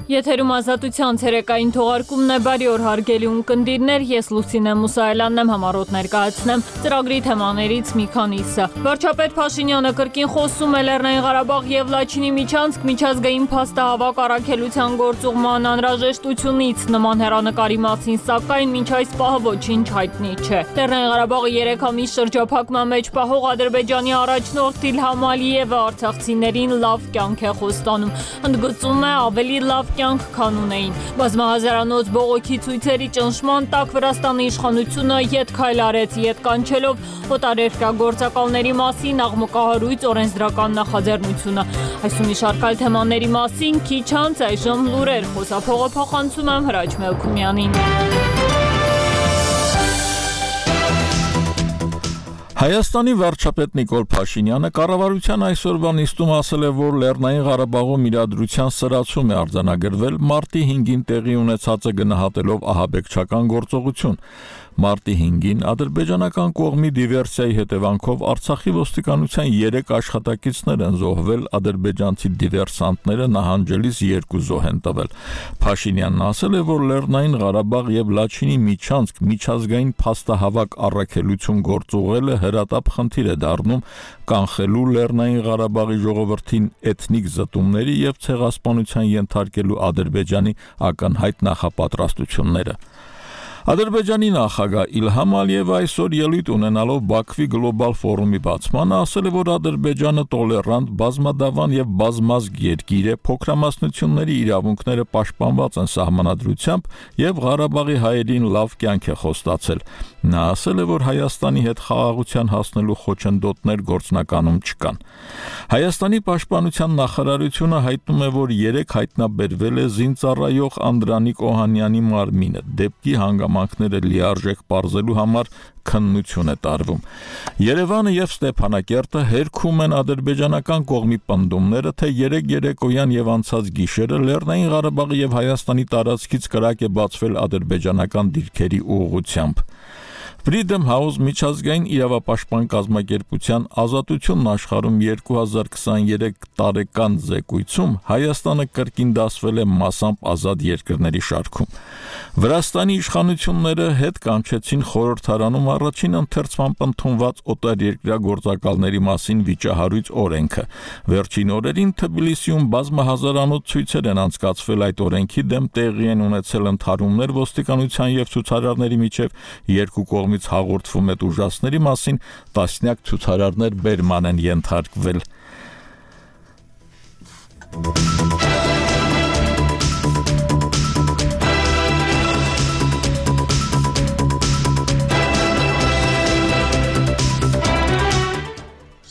Եթերում ազատության ցերեկային թողարկումն է, բարի օր հարգելի ունկնդիրներ, ես Լուսինե Մուսայելյանն եմ, համառոտ ներկայացնեմ ծրագրի թեմաներից մի քանիսը։ Վարչապետ Փաշինյանը կրկին խոսում է Լեռնային Ղարաբաղ եւ Լաչինի միջանցք միջազգային փաստահավաք առաքելության գործուղման անհրաժեշտությունից նման հեռանկարի մասին, սակայն մինչ այս պահը ոչինչ հայտնի չէ։ Լեռնային Ղարաբաղը 3 ամիս շրջափակման մեջ պահող Ադրբեջանի առաջնորդ Իլհամ Ալիևը արցախցիներին լավ կյանք է խոստանում, ընդգծում է ավելի լավ կյանք քան ունեին։ Բազմահազարանոց բողոքի ցույցերի ճնշման տակ Վրաստանի իշխանությունը ետ քայլ արեց, ետ կանչելով օտարերկրյա գործակալների մասին աղմկահարույց օրենսդրական նախաձեռնությունը։ Այս ու մի շարք այլ թեմաների մասին քիչ անց այժմ լուրեր, խոսափողը փոխանցում եմ Հրաչ Մելքումյանին։ Հայաստանի վարչապետ Նիկոլ Փաշինյանը կառավարության այսօրվա նիստում ասել է, որ Լեռնային Ղարաբաղում իրադրության սրացում է արձանագրվել մարտի 5-ին տեղի ունեցածը գնահատելով ահաբեկչական գործողություն։ Մարտի 5-ին ադրբեջանական կողմի դիվերսիայի հետևանքով Արցախի ոստիկանության 3 աշխատակիցներ են զոհվել, ադրբեջանցի դիվերսանտները նահանջելիս 2 զոհ են տվել։ Փաշինյանն ասել է, որ Լեռնային Ղարաբաղ եւ Լաչինի միջանցք միջազգային փաստահավաք առաքելություն գործուղելը հրատապ խնդիր է դառնում կանխելու Լեռնային Ղարաբաղի ժողովրդին էթնիկ զտումների եւ ցեղասպանության ենթարկելու Ադրբեջանի ակնհայտ նախապատրաստությունները։ Ադրբեջանի նախագահ Իլհամ Ալիևը այսօր ելույթ ունենալով Բաքվի գլոբալ ֆորումի բացմանը ասել է, որ Ադրբեջանը տոլերանտ, բազմադավան եւ բազմազգ երկիր է, փոքրամասնությունների իրավունքները պաշտպանված են սահմանադրությամբ եւ Ղարաբաղի հայերին լավ կյանք է խոստացել։ Նա ասել է, որ Հայաստանի հետ խաղաղության հասնելու խոչընդոտներ գործնականում չկան։ Հայաստանի պաշտպանության նախարարությունը հայտնում է, որ 3 հայտնաբերվել է զինծառայող Անդրանիկ Օհանյանի մարմինը, դեպքի հանգամանքները լիարժեք պարզելու համար քննություն է տարվում։ Երևանը եւ Ստեփանակերտը հերքում են ադրբեջանական կողմի պնդումները, թե 3 երեկոյան եւ անցած գիշերը Լեռնային Ղարաբաղի եւ Հայաստանի տարածքից կրակ է բացվել ադրբեջանական դիրքերի ուղղությամբ։ Freedom House միջազգային իրավապաշտպան կազմակերպության ազատությունն աշխարհում 2023 տարեկան զեկույցում Հայաստանը կրկին դասվել է մասամբ ազատ երկրների շարքում։ Վրաստանի իշխանությունները հետ կանչեցին խորհրդարանում առաջին ընթերցմամբ ընդունված օտարերկրյա գործակալների մասին վիճահարույց օրենքը։ Վերջին օրերին Թբիլիսիում բազմահազարանոց ցույցեր են անցկացվել այդ օրենքի դեմ, տեղի են ունեցել ընդհարումներ ոստիկանության եւ ցուցարարների միջև, երկու կողմից հաղորդվում է ուժասների մասին, տասնյակ ցուցարարներ բերման են ենթարկվել։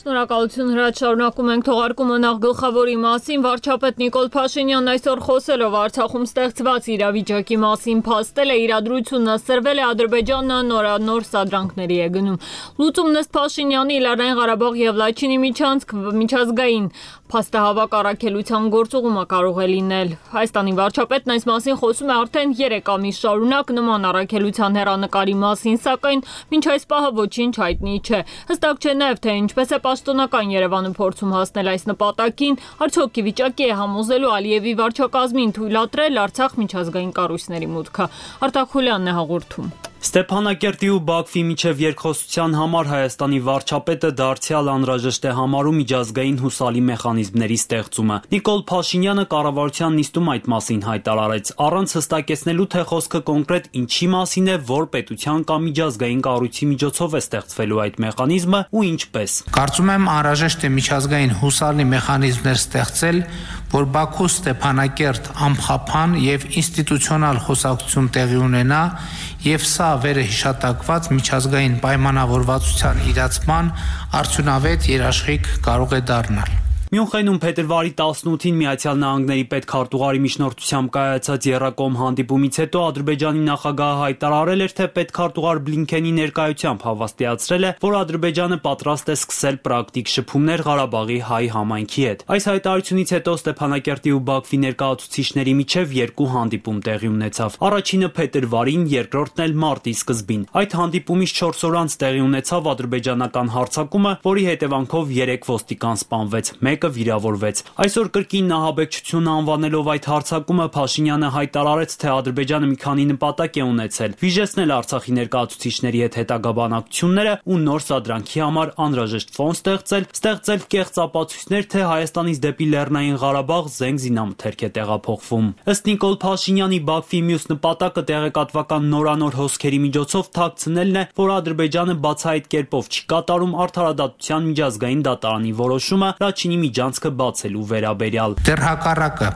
Շնորհակալություն Հրաչ, շարունակում ենք թողարկումը նախ գլխավորի մասին։ Վարչապետ Նիկոլ Փաշինյանն այսօր խոսելով Արցախում ստեղծված իրավիճակի մասին փաստել է իրադրությունը սրվել է Ադրբեջանը նորանոր սադրանքների է գնում։ Լուծումն ըստ Փաշինյանի Լեռնային Ղարաբաղ եւ Լաչինի միջանցք միջազգային փաստահավաք առաքելության գործուղումը կարող է լինել։ Հայաստանի վարչապետն այս մասին խոսում է արդեն 3 ամիս շարունակ նման առաքելության հեռանկարի մասին, սակայն մինչ այս պահը ոչինչ հայտնի չէ։ Հստակ չէ նաեւ թե ինչպես է պաշտոնական Երևանը փորձում հասնել այս նպատակին, արդյոք ի վիճակի է համոզելու Ալիևի վարչակազմին թույլատրել Արցախ միջազգային կառույցների մուտքը։ Արտակ Խուլյանն է հաղորդում։ Ստեփանակերտի ու Բաքվի միջև երկխոսության համար Հայաստանի վարչապետը դարձյալ անհրաժեշտ է համարում միջազգային հուսալի մեխանիզմների ստեղծումը։ Նիկոլ Փաշինյանը կառավարության նիստում այդ մասին հայտարարեց, առանց հստակեցնելու, թե խոսքը կոնկրետ ինչի մասին է, որ պետության կամ միջազգային կառույցի միջոցով է ստեղծվելու այդ մեխանիզմը ու ինչպես։ Կարծում եմ անհրաժեշտ է միջազգային հուսալի մեխանիզմներ ստեղծել, որ Բաքու Ստեփանակերտ ամփոփան եւ ինստիտուցիոնալ խոսակցություն տեղի ունենա եւ սա վերհիշատակված միջազգային պայմանավորվածության իրացման արդյունավետ երաշխիք կարող է դառնալ։ Մյունխենում փետրվարի 18-ին Միացյալ Նահանգների պետքարտուղարի միջնորդությամբ կայացած եռակողմ հանդիպումից հետո Ադրբեջանի նախագահը հայտարարել էր, թե պետքարտուղար Բլինքենի ներկայությամբ հավաստիացրել է, որ Ադրբեջանը պատրաստ է սկսել պրակտիկ շփումներ Ղարաբաղի հայ համայնքի հետ։ Այս հայտարարությունից հետո Ստեփանակերտի ու Բաքվի ներկայացուցիչների միջև 2 հանդիպում տեղի ունեցավ։ Առաջինը փետրվարին, երկրորդն էլ մարտի սկզբին։ Այդ հանդիպումից 4 օր անց տեղի ունեցավ ադրբեջանական հարձակումը, որի հետևանքով 3 ոստիկան սպանվեց։ Մեկը մեկը վիրավորվեց։ Այսօր կրկին նահաբեկչություն անվանելով այդ հարձակումը Փաշինյանը հայտարարեց, թե Ադրբեջանը մի քանի նպատակ է ունեցել՝ վիժեցնել Արցախի ներկայացուցիչների հետ հետագա բանակցությունները ու նոր սադրանքի համար անհրաժեշտ ֆոն ստեղծել կեղծ ապացույցներ, թե Հայաստանից դեպի Լեռնային Ղարաբաղ զենք զինամթերք է տեղափոխվում։ Ըստ Նիկոլ Փաշինյանի Բաքվի մյուս նպատակը տեղեկատվական նորանոր հոսքերի միջոցով թաքցնելն է, որ Ադրբեջանը բացահայտ կերպով չի կատարում Արդարադատության միջազգային դատարանի որոշումը Լաչինի միջանցքը բացելու վերաբերյալ։ Դեռ հակառակը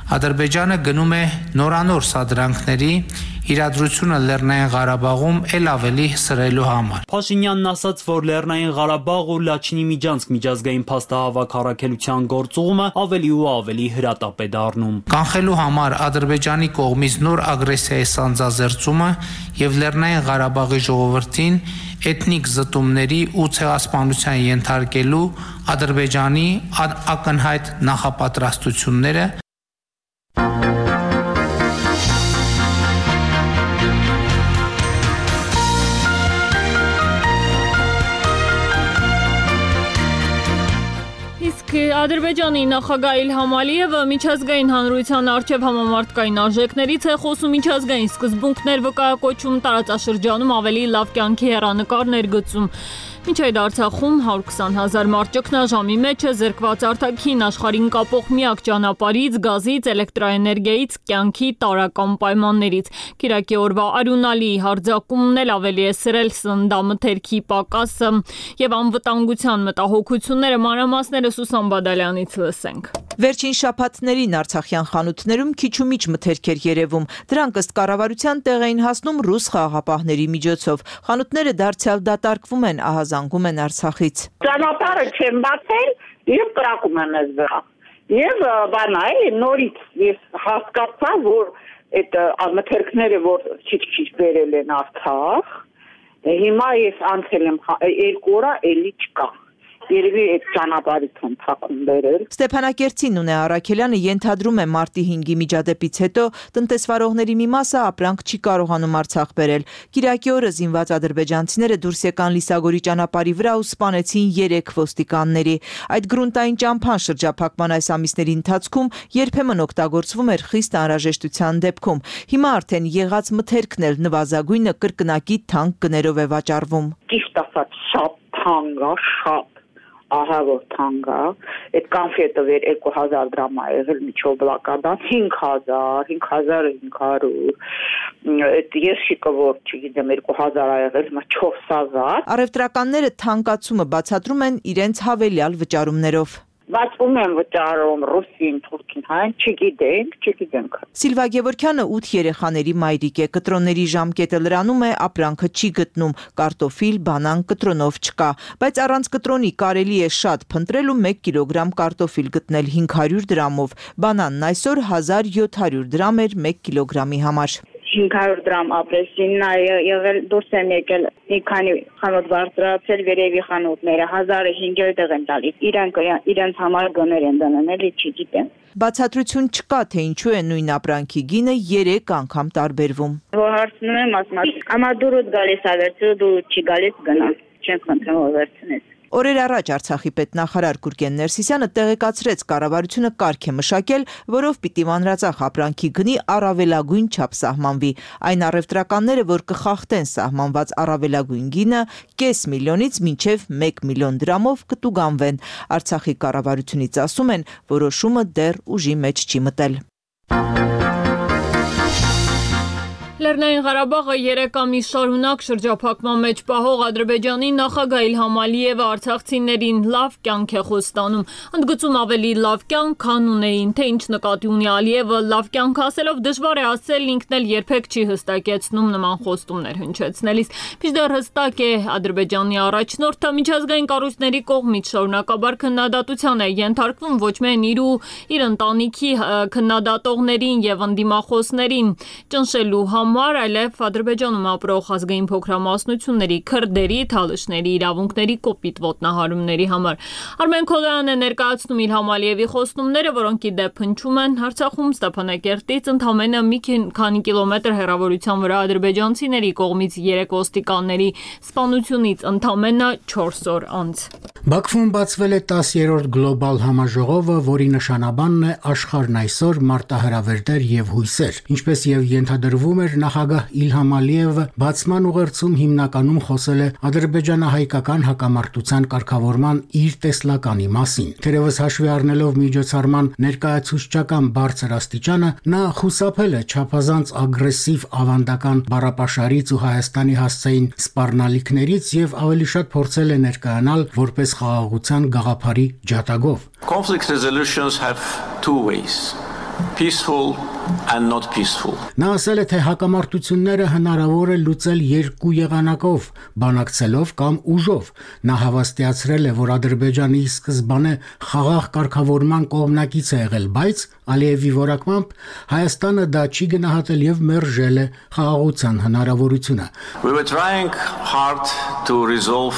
Ադրբեջանը գնում է նորանոր սադրանքների իրադրությունը Լեռնային Ղարաբաղում ել ավելի սրելու համար։ Փաշինյանն ասաց, որ Լեռնային Ղարաբաղ ու Լաչինի միջանցք միջազգային փաստահավաք առաքելության գործուղումը ավելի ու ավելի հրատապ է դառնում։ Կանխելու համար Ադրբեջանի կողմից նոր ագրեսիայի սանձազերծումը եւ Լեռնային Ղարաբաղի ժողովրդին էթնիկ զտումների ու ցեղասպանության ենթարկելու Ադրբեջանի ակնհայտ նախապատրաստությունները Ադրբեջանի նախագահ Իլհամ Ալիևը միջազգային հանրության առջև համամարտկային արժեքներից է խոսում, միջազգային սկզբունքներ վկայակոչում, տարածաշրջանում ավելի լավ կյանքի հեռանկար ներգծում։ Մինչ այդ Արցախում 120,000 մարդ ճգնաժամի մեջ է, զրկված արտաքին աշխարհին կապող միակ ճանապարհից, գազից, էլեկտրաէներգիայից, կյանքի տարրական պայմաններից։ Կիրակի օրվա արյունալի հարձակումն էլ ավելի է սրել սննդամթերքի պակասը եւ անվտանգության մտահոգությունները, մանրամասները Սուսան Բադալյանից լսենք։ Վերջին շաբաթներին արցախյան խանութներում քիչ ու միջ մթերք էր երևում։ Դրանք ըստ կառավարության տեղ էին հասնում ռուս խաղաղապահների միջոցով։ Խանութները դարձյալ դատարկվում են, ահազանգում են Արցախից։ Ճանապարհը չեն բացել եւ կրակում են մեզ վրա։ Եվ բանա էլի նորից ես հասկացա, որ այդ մթերքները որ քիչ բերել են Արցախ, հիմա ես անցել եմ 2 օր էլի չկա։ Երևի այդ ճանապարհից են ցակում բերել։ Ստեփանակերտցի Նունե Արաքելյանը ենթադրում է մարտի 5-ի միջադեպից հետո տնտեսվարողների մի մասը ապրանք չի կարողանում Արցախ բերել։ Կիրակի օրը զինված ադրբեջանցիները դուրս եկան Լիսագորի ճանապարհի վրա ու սպանեցին 3 ոստիկանների։ Այդ գրունտային ճամփան շրջափակման այս ամիսների ընթացքում երբեմն օգտագործվում էր խիստ անհրաժեշտության դեպքում։ Հիմա արդեն եղած մթերքն էլ նվազագույնը կրկնակի թանկ գներով է վաճառվում։ Ճիշտ ասած շատ թանկ է, շատ ահա որ թանկ է, այդ կոնֆետը վեր 2000 դրամ է եղել միջով բլակադան 5500, այդ եշիկը որ չգիտեմ 2000 է եղել, հիմա 4000։ Առևտրականները թանկացումը բացատրում են իրենց հավելյալ վճարումներով։ Բայց ում են վճարում ռուսին, թուրքին, հայն չգիտենք։ Սիլվա Գևորգյանը 8 երեխաների մայրիկ է, կտրոնների ժամկետը լրանում է, ապրանքը չի գտնում, կարտոֆիլ, բանան կտրոնով չկա, բայց առանց կտրոնի կարելի է շատ փնտրել ու 1 կիլոգրամ կարտոֆիլ գտնել 500 դրամով, բանանն այսօր 1700 դրամ էր 1 կիլոգրամի համար։ 500 դրամ ապրեսինն է եղել, դուրս եմ եկել մի քանի խանութ բարձրացել վերևի խանութները 1500 են տալիս։ Իրենց համար գներ են դնում, էլի չգիտեմ։ Բացատրություն չկա, թե ինչու է նույն ապրանքի գինը 3 անգամ տարբերվում։ Որ հարցնում եմ, ասում եմ, «Ամա դու գալիս ա վերցրու, դու չի գալիս գնա»։ Չեն խնդրում որ վերցնես։ Օրեր առաջ Արցախի պետնախարար Գուրգեն Ներսիսյանը տեղեկացրեց կառավարությունը կարգ է մշակել, որով պիտի մանրածախ ապրանքի գնի առավելագույն չափ սահմանվի։ Այն առևտրականները, որ կխախտեն սահմանված առավելագույն գինը, կես միլիոնից մինչև 1 միլիոն դրամով կտուգանվեն։ Արցախի կառավարությունից ասում են, որոշումը դեռ ուժի մեջ չի մտել։ Լեռնային Ղարաբաղը 3 ամիս շարունակ շրջափակման մեջ պահող Ադրբեջանի նախագահ Իլհամ Ալիևը արցախցիներին լավ կյանք է խոստանում։ Ընդգծում ավելի լավ կյանք, քան ունեին, թե ինչ նկատի ունի Ալիևը լավ կյանք ասելով դժվար է ասել, ինքն էլ երբեք չի հստակեցնում նման խոստումներ հնչեցնելիս։ Մինչդեռ հստակ է Ադրբեջանի առաջնորդը միջազգային կառույցների կողմից շարունակաբար քննադատության է ենթարկվում ոչ միայն իր ընտանիքի քննադատողներին եւ ընդդիմախոսներին ճնշելու համար համար, այլև Ադրբեջանում ապրող ազգային փոքրամասնությունների, քրդերի, թալիշների իրավունքների կոպիտ ոտնահարումների համար։ Արմեն Քոլոյանն է ներկայացնում Իլհամ Ալիևի խոստումները, որոնք ի դեպ հնչում են Արցախում Ստեփանակերտից ընդամենը մի քանի կիլոմետր հեռավորության վրա ադրբեջանցիների կողմից 3 ոստիկանների սպանությունից ընդամենը 4 օր անց։ Բաքվում բացվել է 10-րդ գլոբալ համաժողովը, որի նշանաբանն է աշխարհն այսօր մարտահրավերներ եւ հույսեր։ Ինչպես եւ ենթադրվում էր, նախագահ Իլհամ Ալիևը բացման ուղերձում հիմնականում խոսել է ադրբեջանահայկական հակամարտության կարգավորման իր տեսլականի մասին։ Թերևս հաշվի առնելով միջոցառման ներկայացուցչական բարձր աստիճանը, նա խուսափել է չափազանց ագրեսիվ ավանդական բառապաշարից ու Հայաստանի հասցեին սպառնալիքներից եւ ավելի շատ փորձել է ներկայանալ որպես խաղաղության գաղափարի ջատագով։ Conflict resolutions have two ways. Peaceful and not peaceful. Նա ասել է, թե հակամարտությունները հնարավոր է լուծել երկու եղանակով, բանակցելով կամ ուժով։ Նա հավաստիացրել է, որ Ադրբեջանի սկզբանե խաղաղ կարգավորման կողմնակից է եղել, բայց Ալիևի որակմամբ Հայաստանը դա չի գնահատել եւ մերժել է խաղաղության հնարավորությունը։ We were trying hard to resolve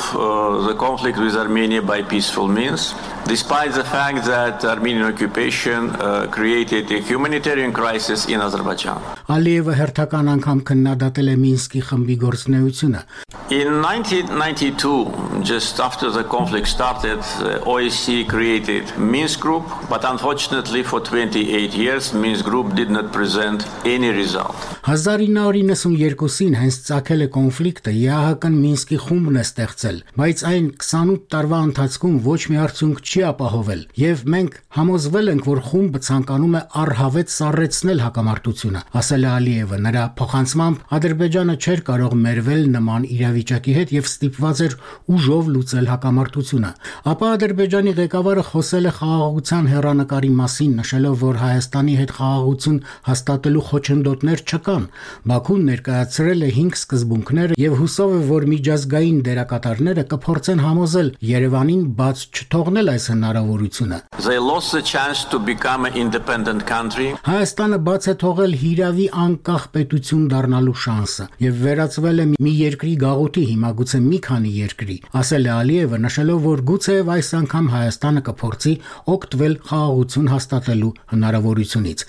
the conflict with Armenia by peaceful means, despite the fact that Armenian occupation created a humanitarian crisis in Azerbaijan. Ալիևը հերթական անգամ քննադատել է Մինսկի խմբի գործունեությունը։ In 1992, just after the conflict started, OSCE created Minsk Group, but unfortunately for 28 years, Minsk Group did not present any result. 1992-ին հենց ծագել է կոնֆլիկտը, ԵԱՀԿ-ն Մինսկի խումբն է ստեղծել, բայց այն 28 տարվա ընթացքում ոչ մի արդյունք չի ապահովել, եւ մենք համոզվել ենք, որ խումբը ցանկանում է առհավետ սառեցնել հակամարտությունը, ասել է Ալիևը։ Նրա փոխանցմամբ Ադրբեջանը չէր կարող մերվել նման իրավիճակի հետ եւ ստիպված էր ուժով լուծել հակամարտությունը։ Ապա Ադրբեջանի ղեկավարը խոսել է խաղաղության հեռանկարի մասին, նշելով, որ Հայաստանի հետ խաղաղություն հաստատելու խոչընդոտներ չկան։ Բաքուն ներկայացրել է 5 սկզբունքներ եւ հուսով է, որ միջազգային դերակատարները կփորձեն համոզել Երևանին բաց չթողնել այս հնարավորությունը։ They lost the chance to become an independent country. Հայաստանը բաց է թողել հիրավի անկախ պետություն դառնալու շանսը եւ վերածվել է մի երկրի գաղութի, հիմա գուցե մի քանի երկրի, ասել է Ալիևը, նշելով, որ գուցեև այս անգամ Հայաստանը կփորձի օգտվել խաղաղություն հաստատելու հնարավորությունից։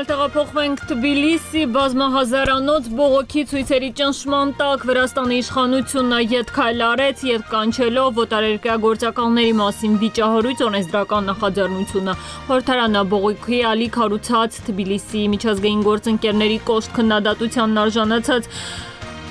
Տեղափոխվենք Թբիլիսի, բազմահազարանոց բողոքի ցույցերի ճնշման տակ Վրաստանի իշխանությունը ետ քայլ արեց, ետ կանչելով օտարերկրյա գործակալների մասին վիճահարույց օրենսդրական նախաձեռնությունը։ Խորհրդարանը բողոքի ալիք հարուցած Թբիլիսի միջազգային գործընկերների կոշտ քննադատությանն արժանացած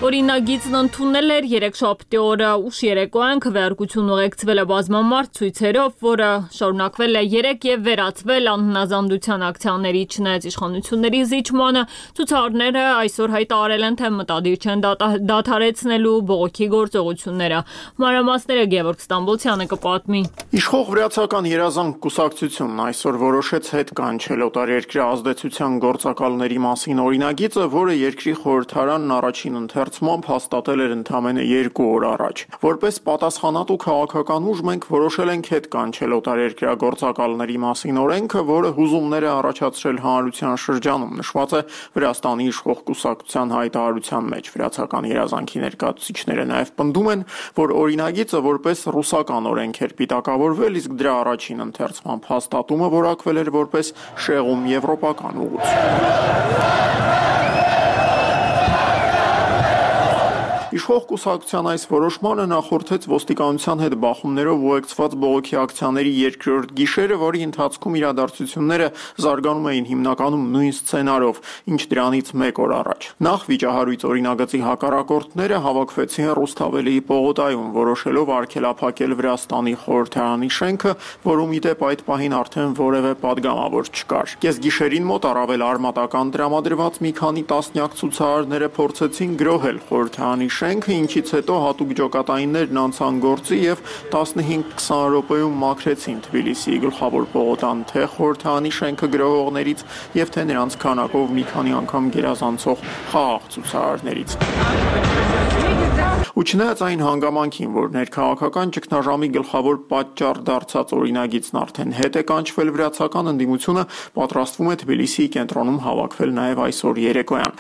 օրինագիծն ընդունել էր երեքշաբթի օրը ուշ երեկոյան քվեարկություն ուղեկցվել է բազմամարդ ցույցերով, որը շարունակվել է 3 եւ վերածվել անհնազանդության ակցիաների, չնայած իշխանությունների զիջմանը, ցուցարարները այսօր հայտարարել են, թե մտադիր չեն դադարեցնելու բողոքի գործողությունները։ Մանրամասները Գևորգ Ստամբոլցյանը կպատմի։ Իշխող վրացական երազանք կուսակցությունն այսօր որոշեց հետ կանչել օտարերկրյա ազդեցության գործակալների մասին օրինագիծը, որը երկրի խորհրդարանն առաջին ընթերցմամբ հաստատել էր ընդամենը 2 օր առաջ։ Որպես պատասխանատու քաղաքական ուժ մենք որոշել ենք հետ կանչել օտարերկրյա գործակալների մասին օրենքը, որը հուզումներ է առաջացրել հանրության շրջանում, նշված է Վրաստանի իշխող կուսակցության հայտարարության մեջ։ Վրացական երազանքի ներկայացուցիչները նաև պնդում են, որ օրինագիծը որպես ռուսական օրենք էր պիտակավորվել, իսկ դրա առաջին ընթերցմամբ հաստատումը որակվել էր որպես շեղում եվրոպական ուղղություն։ Իշխող կուսակցության այս որոշմանը նախորդեց ոստիկանության հետ բախումներով ուղեկցված բողոքի ակցիաների երկրորդ գիշերը, որի ընթացքում իրադարձությունները զարգանում էին հիմնականում նույն սցենարով, ինչ դրանից 1 օր առաջ։ Նախ վիճահարույց օրինագծի հակառակորդները հավաքվեցին Ռուսթավելիի պողոտայում, որոշելով արգելափակել Վրաստանի խորհրդարանի շենքը, որում ի դեպ այդ պահին արդեն որևէ падգամավոր չկար։ Կեսգիշերին մոտ առավել արմատական տրամադրված մի քանի տասնյակ ցուցարարները փորձեցին գրոհել խորհրդարանի շենքը, ինչից հետո հատուկ ջոկատայիններն անցան գործի եւ 15-20 րոպեում մաքրեցին Թբիլիսիի գլխավոր պողոտան թե խորհրդանի շենքը գրողներից եւ թե նրանց քանակով մի քանի անգամ գերազանցող խաղաղ ցուցարարներից։ Ու չնայած այն հանգամանքին, որ ներքաղաքական ճգնաժամի գլխավոր պատճառ դարձած օրինագիծն արդեն հետ է կանչվել, վրացական ընդդիմությունը պատրաստվում է Թբիլիսիի կենտրոնում հավաքվել նաև այսօր երեկոյան։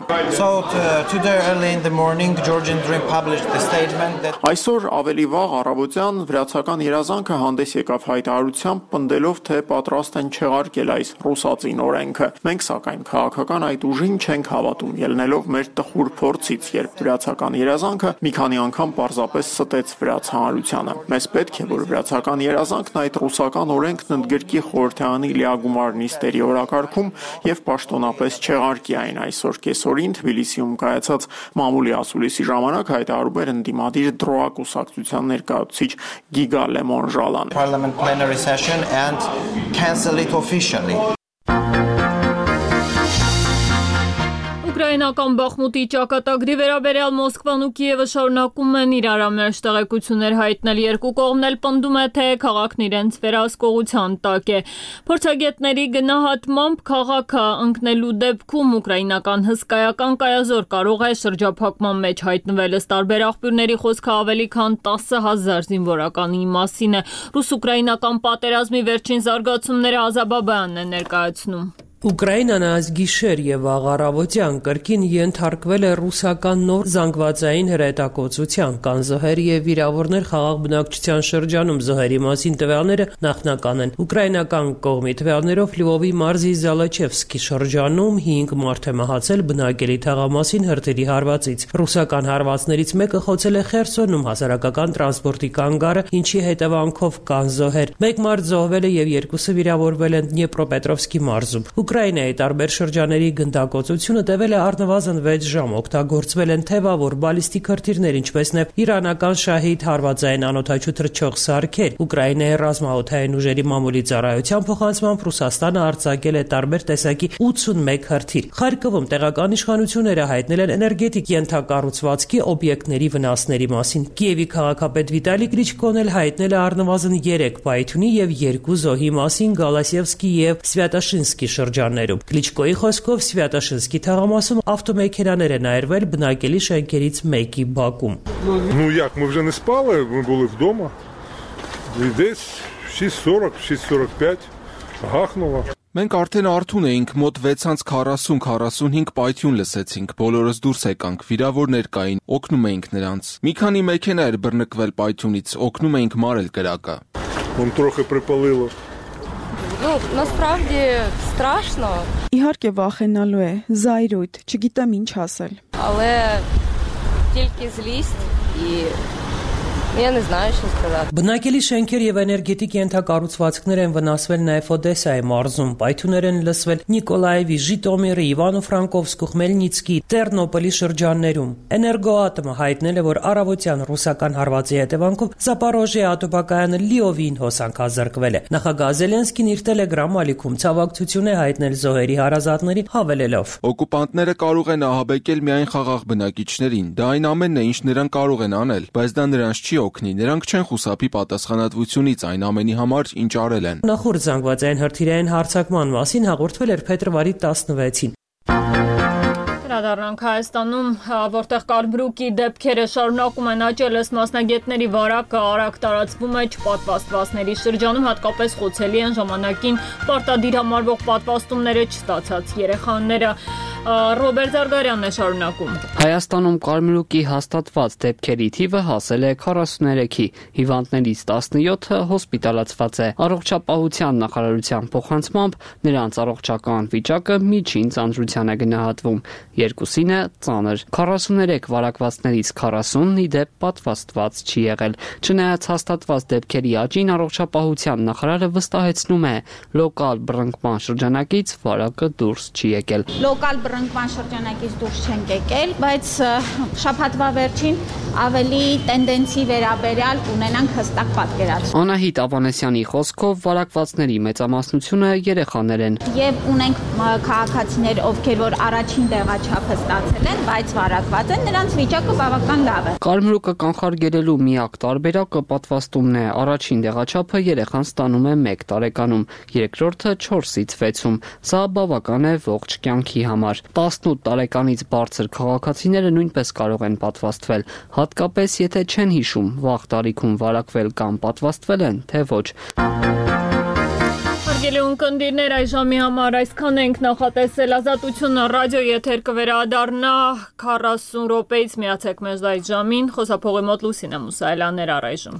Այսօր ավելի վաղ առավոտյան վրացական երազանքը հանդես եկավ հայտարարությամբ, պնդելով, թե պատրաստ են չեղարկել այս ռուսածին օրենքը։ Մենք սակայն քաղաքական այդ ուժին չենք հավատում, ելնելով մեր տխուր փորձից, երբ վրացական երազանքը մի քանի անգամ պարզապես ստեց վրաց հանրությանը։ Մեզ պետք է, որ վրացական երազանքն այդ ռուսական օրենքն ընդգրկի խորհրդարանի լիագումար նիստերի օրակարգում եւ պաշտոնապես չեղարկի այն այսօր կեսօրին Թբիլիսիում կայացած մամուլի ասուլիսի ժամանակ հայտարարում էր ընդդիմադիր դրոա կուսակցության ներկայացուցիչ Գիգա Լեմոնժալան։ Parliament plenary session and cancel it officially. Ուկրաինական Բախմուտի ճակատագրի վերաբերյալ Մոսկվան ու Կիևը շարունակում են իրար ամերժ տեղեկություններ հայտնել։ Երկու կողմն էլ պնդում է, թե քաղաքն իրենց վերահսկողության տակ է։ Փորձագետների գնահատմամբ քաղաքը ընկնելու դեպքում ուկրաինական հսկայական կայազոր կարող է շրջափակման մեջ հայտնվել։ Ըստ տարբեր աղբյուրների խոսքը ավելի քան 10,000 զինվորականի մասին է։ Ռուս-ուկրաինական պատերազմի վերջին զարգացումները Ազաբաբյանն է ներկայացնում։ Ուկրաինան այս գիշեր եւ աղարավոտյան կրկին ենթարկվել է ռուսական նոր զանգվածային հրետակոծության, կան զոհեր եւ վիրավորներ խաղաղ բնակչության շրջանում։ Զոհերի մասին տվյալները նախնական են։ Ուկրաինական կողմի տվյալներով Լվովի մարզի Զալաչևսկի շրջանում 5 մարդ է մահացել բնակելի թաղամասին հրթիռի հարվածից։ Ռուսական հարվածներից մեկը խոցել է Խերսոնում հասարակական տրանսպորտի կանգառը, ինչի հետևանքով կան զոհեր։ Մեկ մարդ զոհվել է եւ երկուսը վիրավորվել են Դնեպրոպետրովսկի մարզում։ Ուկրաինայի տարբեր շրջանների գնդակոծությունը տևել է առնվազն 6 ժամ, օգտագործվել են թևավոր բալիստիկ հրթիռներ, ինչպես նաև իրանական շահիդ հարվածային անօդաչու թռչող սարքեր։ Ուկրաինայի ռազմաօդային ուժերի մամուլի ծառայության փոխանցմամբ Ռուսաստանը արձակել է տարբեր տեսակի 81 հրթիռ։ Խարկովում տեղական իշխանությունները հայտնել են էներգետիկ ենթակառուցվածքի օբյեկտների վնասների մասին։ Կիևի քաղաքապետ Վիտալի Կլիչկոն էլ հայտնել է առնվազն 3 պայթյունի եւ 2 զոհի մասին Գալասիևսկի եւ Սվյատաշինսկի շրջաններում։ Կլիչկոյի խոսքով Սվյատաշինսկի թաղամասում ավտոմեքենաներ են այրվել բնակելի շենքերից մեկի բակում։ Ну як, мы вже не спали, ми були вдома. І десь 6:40, 6:45 гахнуло. Մենք արդեն արթուն էինք, մոտ 6:40-45 պայթյուն լսեցինք, բոլորս դուրս եկանք, վիրավորներ կային, օգնում էինք նրանց։ Մի քանի մեքենա էր բռնկվել պայթյունից, օգնում էինք մարել կրակը։ Вон трохи припалило. Ну, насправді страшно. Իհարկե վախենալու է, զայրույթ, չգիտեմ ինչ ասել։ Але тільки злість і Я не знаю, что сказать. Բնակելի շենքեր եւ էներգետիկ ենթակառուցվածքներ են վնասվել նաեւ Օդեսայի մարզում, պայթյուններ են լսվել Նիկոլաևի, Ժիտոմիրի, Իվանո-Ֆրանկովսկու, Խմելնիցկի, Տերնոպոլի շրջաններում։ Էներգոատոմը հայտնել է, որ առավոտյան ռուսական հարվածի հետևանքով Զապորոժիա ատոմակայանը լիովին հոսանքազրկվել է։ Նախագահ Զելենսկին իր Telegram ալիքում ցավակցություն է հայտնել զոհերի հարազատների, հավելելով. Օկուպանտները կարող են ահաբեկել միայն խաղաղ բնակիչներին։ Դա այն ամենն է, ինչ նրանք կարող են անել, բայց դա նրանց չի օգնի, նրանք չեն խուսափի պատասխանատվությունից այն ամենի համար, ինչ արել են։ Նախորդ զանգվածային հրթիռային հարձակման մասին հաղորդվել էր փետրվարի 16-ին։ Դառնանք Հայաստանում, որտեղ կարմրուկի դեպքերը շարունակում են աճել, ըստ մասնագետների վարակը արագ տարածվում է չպատվաստվածների շրջանում, հատկապես խոցելի են ժամանակին պարտադիր համարվող պատվաստումները չստացած երեխաները։ Ռոբերտ Զարգարյանն է շարունակում։ Հայաստանում կարմրուկի հաստատված դեպքերի թիվը հասել է 43-ի, հիվանդներից 17-ը հոսպիտալացված է։ Առողջապահության նախարարության փոխանցմամբ նրանց առողջական վիճակը միջին ծանրության է գնահատվում, երկուսինը ծանր։ 43 վարակվածներից 40-ն ի դեպ պատվաստված չի եղել։ Չնայած հաստատված դեպքերի աճին առողջապահության նախարարը վստահեցնում է, լոկալ բռնկման շրջանակից վարակը դուրս չի եկել։ Local բռնկման շրջանակից դուրս չենք եկել, բայց շաբաթվա վերջին ավելի տենդենսի վերաբերյալ ունենանք հստակ պատկերացում։ Անահիտ Ավանեսյանի խոսքով վարակվածների մեծամասնությունը երեխաներ են։ Եվ ունենք քաղաքացիներ, ովքեր որ առաջին տեղաչափը ստացել են, բայց վարակված են, նրանց վիճակը բավական լավ է։ Կարմրուկը կանխարգելելու միակ տարբերակը պատվաստումն է։ Առաջին տեղաչափը երեխան ստանում է 1 տարեկանում, երկրորդը 4-ից 6-ում։ Սա բավական է ողջ կյանքի համար։ 18 տարեկանից բարձր քաղաքացիները նույնպես կարող են պատվաստվել, հատկապես եթե չեն հիշում վաղ տարիքում վարակվել կամ պատվաստվել են, թե ոչ։ Հարգելի ունկնդիրներ, այս ժամի համար այսքան ենք նախատեսել։ Ազատությունը ռադիո եթեր կվերադառնա 40 րոպեից միացեք մեզ այս ժամին։ Խոսափողի մոտ Լուսինե Մուսայելյանն էր առայժմ։